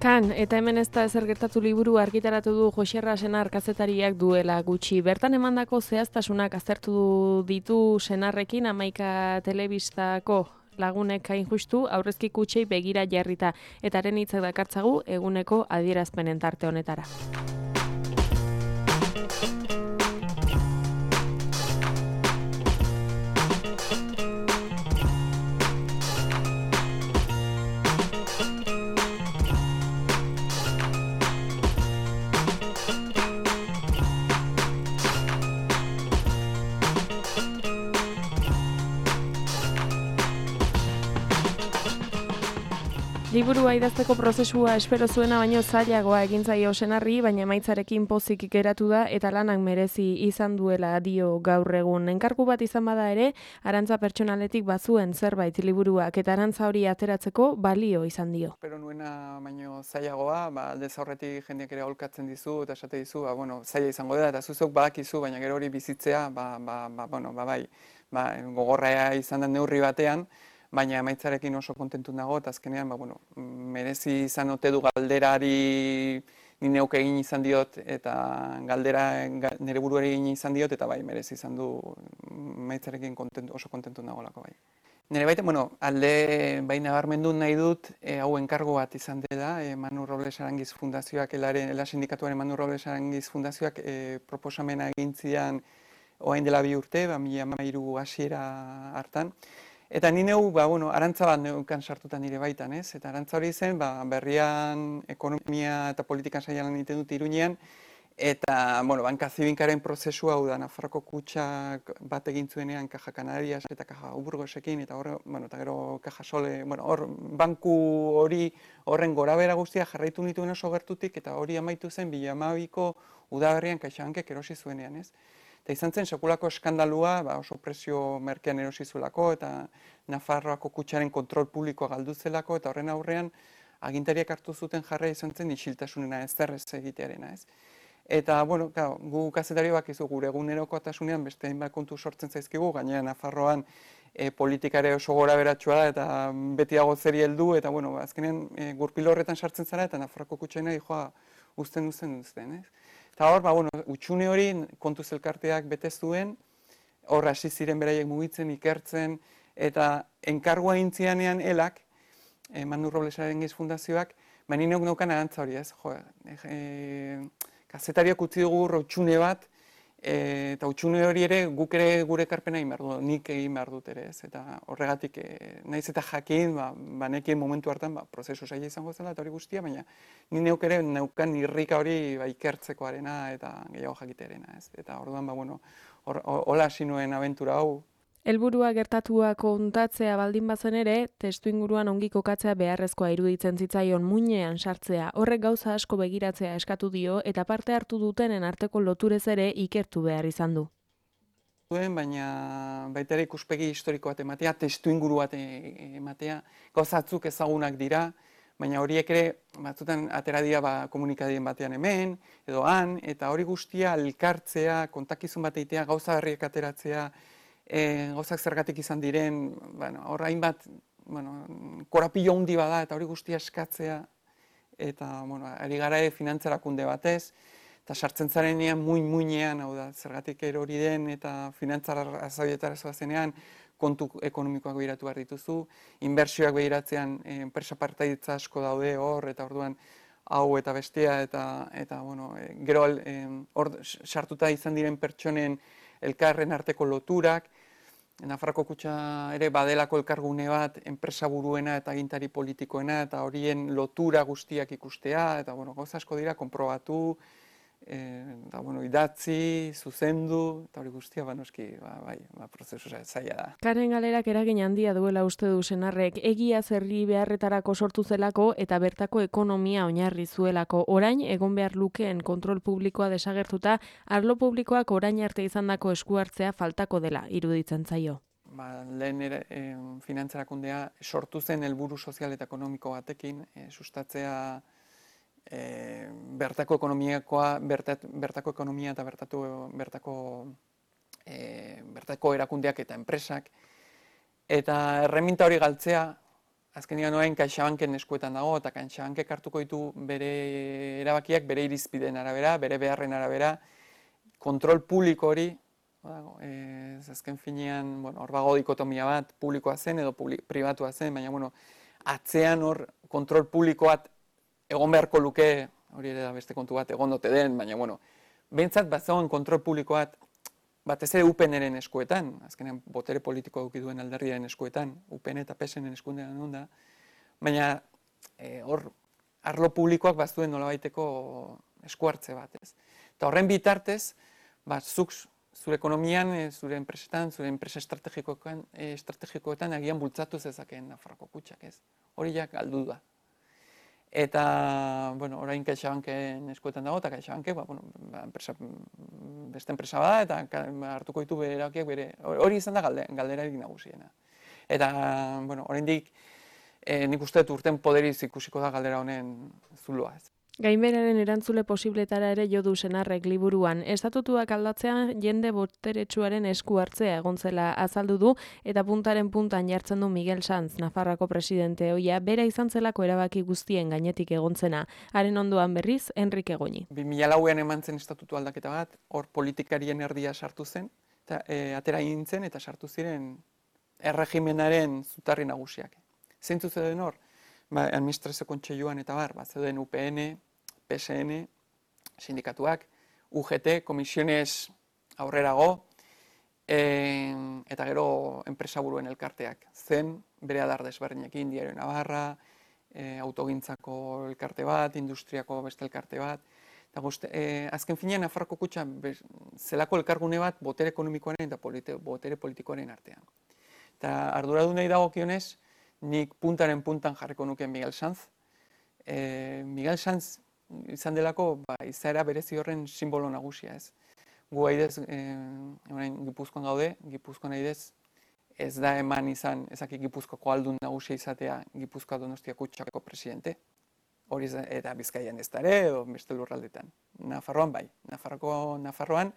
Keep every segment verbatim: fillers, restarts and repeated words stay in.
Kan, eta hemen ez da ezer gertatu liburu argitaratu du Joxerra Senar kazetariak duela gutxi. Bertan emandako zehaztasunak aztertu ditu Senarrekin hamaika telebistako lagunek hain justu aurrezki kutxei begira jarrita, eta haren hitzak dakartzagu eguneko adierazpenen tarte honetara. Liburua idazteko prozesua espero zuena baino zailagoa egin zaio Senarri, baina emaitzarekin pozik geratu da eta lanak merezi izan duela dio gaur egun. Enkargu bat izan bada ere, arantza pertsonaletik bazuen zerbait liburuak eta arantza hori ateratzeko balio izan dio. Espero nuena baino zailagoa, ba, aldez aurretik jendeak ere aholkatzen dizu eta esate dizu, ba, bueno, zaila izango da eta zuzok badakizu, baina gero hori bizitzea, ba, ba, ba, bueno, ba, bai, ba, gogorra izan da neurri batean, baina emaitzarekin oso kontentu nago, eta azkenean, ba, bueno, merezi izan ote du galderari ni neuk egin izan diot, eta galdera nire buruari egin izan diot, eta bai, merezi izan du emaitzarekin kontentu, oso kontentu nagolako bai. Nire baita, bueno, alde bai nabarmendu nahi dut, e, hau enkargo bat izan dela, e, Manu Robles Arangiz Fundazioak, elaren, ela sindikatuaren Manu Robles Arangiz Fundazioak e, proposamena egin zidan orain dela bi urte, ba, mila hamairu hasiera hartan. Eta ni neu, ba, bueno, arantza bat neukan sartutan nire baitan, ez? Eta arantza hori zen, ba, berrian ekonomia eta politikan saialan egiten dut Iruñean, eta, bueno, banka zibinkaren prozesua hau da, Nafarroko kutxak bat egin zuenean Caja Canarias eta Caja Burgosekin, eta hor, bueno, eta gero Caja Sole, bueno, hor, banku hori horren gorabera guztia jarraitu nituen oso gertutik, eta hori amaitu zen bi mila hamabiko udaberrian CaixaBankek erosi zuenean, ez? Eta izan zen sekulako eskandalua, ba, oso prezio merkean erosi zuelako, eta Nafarroako kutxaren kontrol publikoa galdu zelako, eta horren aurrean agintariak hartu zuten jarra izan zen isiltasunena ez zerrez egitearena, ez. Eta, bueno, claro, gu kazetariak bakizu gure egunerokotasunean beste hainbat kontu sortzen zaizkigu, gainera Nafarroan e, politikare oso gora beratsua da, eta beti dago zeri heldu, eta, bueno, azkenean e, gurpil horretan sartzen zara, eta Nafarroako kutxaina joa uzten uzten uzten, ez. Eta hor, ba, bueno, utxune hori kontuz elkarteak bete zuen, hor hasi ziren beraiek mugitzen, ikertzen, eta enkargua intzianean elak, e, Manu Robles Arangiz Fundazioak, baina neuk neukan arantza hori, ez? Jo, e, kazetariak utzi dugu utxune bat, e, eta utxune hori ere guk ere gure ekarpena egin behar du, nik egin behar dut ere, ez? Eta horregatik, e, naiz eta jakin, ba, banekien momentu hartan, ba, prozesu zaila izango zela eta hori guztia, baina ni neuk ere neukan irrika hori ba, ikertzekoarena eta gehiago jakitearena, ez? Eta orduan, ba, bueno, hola hasi nuen abentura hau. Helburua gertatua kontatzea baldin bazen ere, testu inguruan ongi kokatzea beharrezkoa iruditzen zitzaion muinean sartzea. Horrek gauza asko begiratzea eskatu dio eta parte hartu dutenen arteko loturez ere ikertu behar izan du. Baina baita ere ikuspegi historiko bat ematea, testu inguru bat ematea, gauzatzuk ezagunak dira, baina horiek ere batzutan atera dira ba, komunikadien batean hemen, edo han, eta hori guztia elkartzea, kontakizun bat egitea, gauza berriak ateratzea, E, gauzak zergatik izan diren, bueno, hor hainbat, bueno, korapilo handi bada eta hori guztia eskatzea, eta, bueno, ari gara ere finantzarakunde batez, eta sartzen zarenean muin-muinean, hau da, zergatik erori den eta finantzara azabietara zoazenean, kontu ekonomikoak behiratu behar dituzu, inbertsioak behiratzean enpresa partaidetza asko daude hor, eta orduan hau eta bestea, eta, eta bueno, e, gero hor e, sartuta izan diren pertsonen elkarren arteko loturak, Nafarroko kutxa ere badelako elkargune bat enpresa buruena eta agintari politikoena, eta horien lotura guztiak ikustea, eta bueno, gauza asko dira, konprobatu, e, eta bueno, idatzi, zuzendu, eta hori guztia, ba, noski, ba, bai, ba, prozesu zaila da. Karen galerak eragin handia duela uste du Senarrek, egia zerri beharretarako sortu zelako eta bertako ekonomia oinarri zuelako. Orain, egon behar lukeen kontrol publikoa desagertuta, arlo publikoak orain arte izandako esku hartzea faltako dela iruditzen zaio. Ba, lehen ere, e, finantzarakundea sortu zen helburu sozial eta ekonomiko batekin, e, sustatzea E, bertako ekonomiakoa, bertat, bertako ekonomia eta bertatu, bertako e, bertako erakundeak eta enpresak, eta erreminta hori galtzea, azkenean orain CaixaBanken eskuetan dago, eta CaixaBankek hartuko ditu bere erabakiak bere irizpideen arabera, bere beharren arabera, kontrol publiko hori, ez azken finean, bueno, hor bago dikotomia bat, publikoa zen edo pribatua zen, baina, bueno, atzean hor kontrol publikoat egon beharko luke, hori ere da beste kontu bat, egon dote den, baina, bueno, behintzat bat zegoen kontrol publikoat, bat ez ere U P N-eren eskuetan, azkenean botere politiko eduki duen alderdiaren eskuetan, U P N eta P S N-en eskuetan da, baina hor arlo publikoak bat zuen nolabaiteko eskuartze bat, ez. Eta horren bitartez, bat zuk zure ekonomian, zure enpresetan, zure enpresa estrategikoetan, estrategikoetan agian bultzatu zezakeen Nafarroako kutxak, ez. Hori jak galdu da. Eta, bueno, orain CaixaBanken eskuetan dago, eta CaixaBanke, ba, bueno, ba, enpresa, beste enpresa bada, eta hartuko ditu bere erabakiak bere, hori izan da galde, galderarik nagusiena. Eta, bueno, oraindik eh, nik uste dut urten poderiz ikusiko da galdera honen zuloa, ez. Gainberaren erantzule posibletara ere jo du Senarrek liburuan. Estatutuak aldatzean jende boteretsuaren esku hartzea egon zela azaldu du eta puntaren puntan jartzen du Miguel Sanz, Nafarroako presidente ohia, bera izan zelako erabaki guztien gainetik egontzena. Haren ondoan berriz, Enrique Goñi. bi mila lauean eman zen estatutu aldaketa bat, hor politikarien erdia sartu zen, eta e, atera gintzen eta sartu ziren erregimenaren zutarri nagusiak. Zeintzu zeuden hor? Ba, administrazio kontseiluan eta bar, bat zeuden U P N, P S N, sindikatuak, U G T, komisiones aurrerago, e, eta gero enpresaburuen elkarteak. Zen, bere adar desberdinekin, Diario Navarra, e, autogintzako elkarte bat, industriako beste elkarte bat, eta guzti, e, azken finean Nafarroako kutxa zelako elkargune bat botere ekonomikoaren eta politi, botere politikoaren artean. Eta arduradunei dagokionez, nik puntaren puntan jarriko nuke Miguel Sanz. E, Miguel Sanz izan delako ba, izaera berezi horren simbolo nagusia, ez. Gu aidez, e, orain Gipuzkoan gaude, Gipuzkoan aidez ez da eman izan, ezaki Gipuzkoako aldun nagusia izatea Gipuzkoa Donostia kutxako presidente. Hori eta Bizkaian ez da ere, edo beste lurraldetan. Nafarroan bai, Nafarroako, Nafarroan,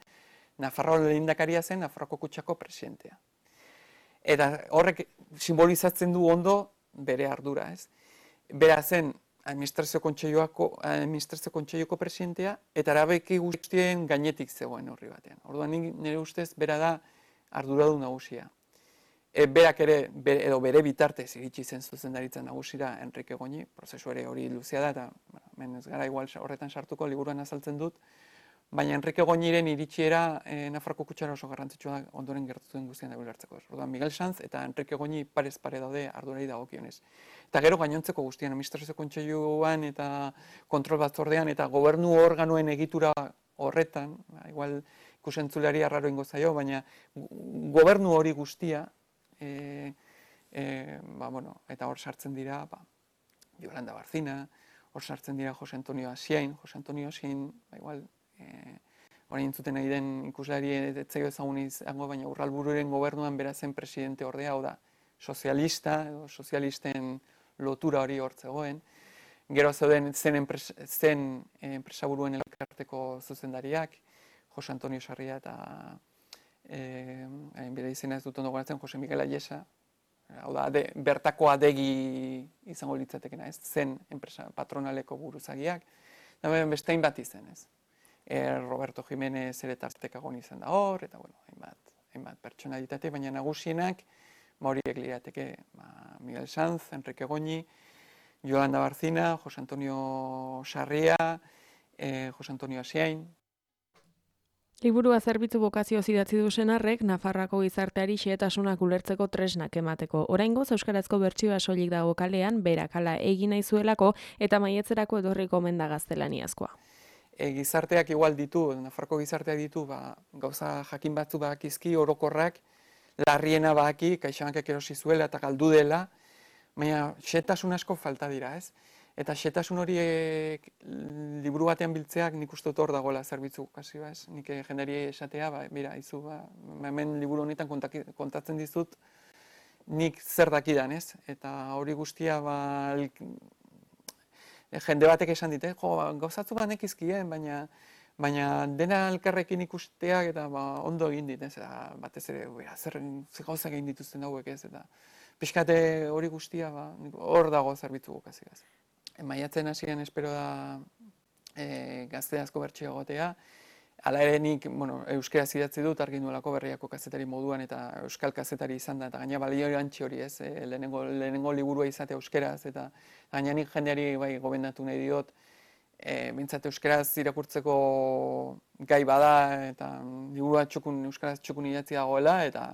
Nafarroa lehendakaria zen Nafarroako kutxako presidentea. Eta horrek simbolizatzen du ondo bere ardura, ez. Bera zen administrazio kontseiluako administrazio kontseiluko presidentea eta erabaki guztien gainetik zegoen horri batean. Orduan nire ustez bera da arduradun nagusia. E, berak ere bere, edo bere bitartez iritsi zen zuzendaritza nagusira Enrique Goñi, prozesu ere hori luzea da eta bueno, ez gara igual horretan sartuko, liburuan azaltzen dut. Baina Enrique Goñiren iritsiera e, Nafarroako kutxara oso garrantzitsua da ondoren gertatu den guztien da ulertzeko. Orduan Miguel Sanz eta Enrique Goñi parez pare daude ardurari dagokionez. Eta gero gainontzeko guztien administrazio kontseiluan eta kontrol batzordean eta gobernu organoen egitura horretan, ba, igual ikusentzulari arraro ingo zaio, baina gobernu hori guztia, e, e, ba, bueno, eta hor sartzen dira, ba, Yolanda Barcina, hor sartzen dira Jose Antonio Asiain, Jose Antonio Asiain, ba, igual, E, orain entzuten nahi den ikuslari etzaio ezagun izango, baina Urralbururen gobernuan bera zen presidente ordea, hau da, sozialista, edo sozialisten lotura hori hor zegoen. Gero zeuden zen, enpres, zen enpresaburuen elkarteko zuzendariak, Jose Antonio Sarria eta e, bere izena ez dut ondo goratzen, Jose Miguel Ayesa, hau da, de, bertako adegi izango litzatekena, ez, zen enpresa patronaleko buruzagiak, eta bestein bat izen, ez. E, Roberto Jiménez ere tartekagon izan da hor, eta bueno, hainbat, hainbat pertsonalitate, baina nagusienak, ba horiek lirateke, ba, Miguel Sanz, Enrique Goñi, Yolanda Barcina, Jose Antonio Sarria, e, Jose Antonio Asiain. Liburua zerbitzu bokazioz idatzi du Senarrek, Nafarroako gizarteari xehetasunak ulertzeko tresnak emateko. Oraingoz euskarazko bertsioa soilik dago kalean, berak hala egin nahi zuelako eta maietzerako edorriko omen da gaztelaniazkoa. E, gizarteak igual ditu, Nafarroko gizarteak ditu, ba, gauza jakin batzu badakizki, orokorrak, larriena badaki, CaixaBankek erosi zuela eta galdu dela, baina xehetasun asko falta dira, ez? Eta xehetasun horiek liburu batean biltzeak nik uste dut hor dagoela zerbitzu kasi, ba, ez? Nik jendari esatea, ba, bira, izu, ba, hemen liburu honetan kontatzen dizut, nik zer dakidan, ez? Eta hori guztia, ba, jende batek esan dite, jo, gauzatzu banek izkien, baina baina dena elkarrekin ikusteak eta ba, ondo egin dit, ez, eta batez ere, bera, zer, zer gauzak egin dituzten hauek ez, eta pixkate hori guztia, ba, hor dago zerbitzu gokazigaz. Maiatzen hasieran espero da e, gazte asko bertxio egotea, hala ere nik, bueno, euskaraz idatzi dut, argi nuelako Berriako kazetari moduan eta euskal kazetari izan da, eta gaina balio erantzi hori ez, e, lehenengo, lehenengo liburua izate euskaraz, eta gaina nik jendeari bai gobendatu nahi diot, e, bintzat euskaraz irakurtzeko gai bada, eta liburua txukun, euskaraz txukun idatzi dagoela, eta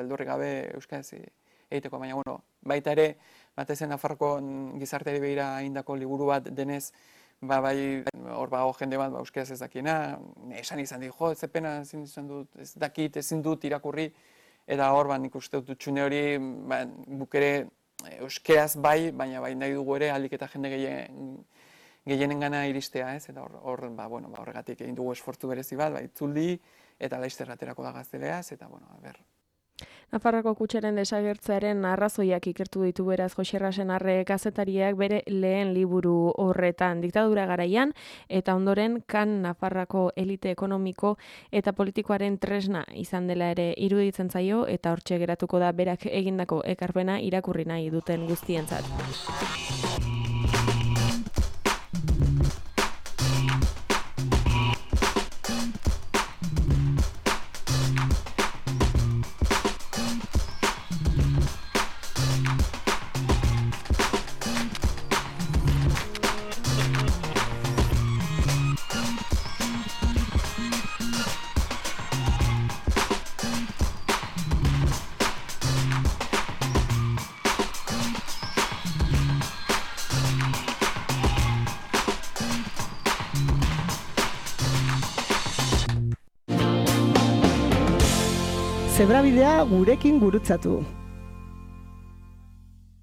beldurri gabe euskaraz egiteko, baina bueno, baita ere, batezen Nafarroko gizarteari behira egindako liburu bat denez, ba, bai, hor bago jende bat, ba, euskaraz ez dakiena, esan izan dit, jo, ez epena, ezin izan dut, ez dakit, ezin dut irakurri, eta hor, ba, nik uste dut txune hori, ba, buk ere euskaraz bai, baina bai nahi dugu ere, alik eta jende gehien, gehienen gana iristea, ez, eta hor, hor ba, bueno, ba, horregatik egin dugu esfortzu berezi bat, ba, itzuldi, eta laizter aterako da gazteleaz, eta, bueno, a ber, Nafarroako kutxaren desagertzearen arrazoiak ikertu ditu beraz Joxerra Senarre kazetariak bere lehen liburu horretan, diktadura garaian eta ondoren kan Nafarroako elite ekonomiko eta politikoaren tresna izan dela ere iruditzen zaio eta hortxe geratuko da berak egindako ekarpena irakurri nahi duten guztientzat. Zebrabidea gurekin gurutzatu.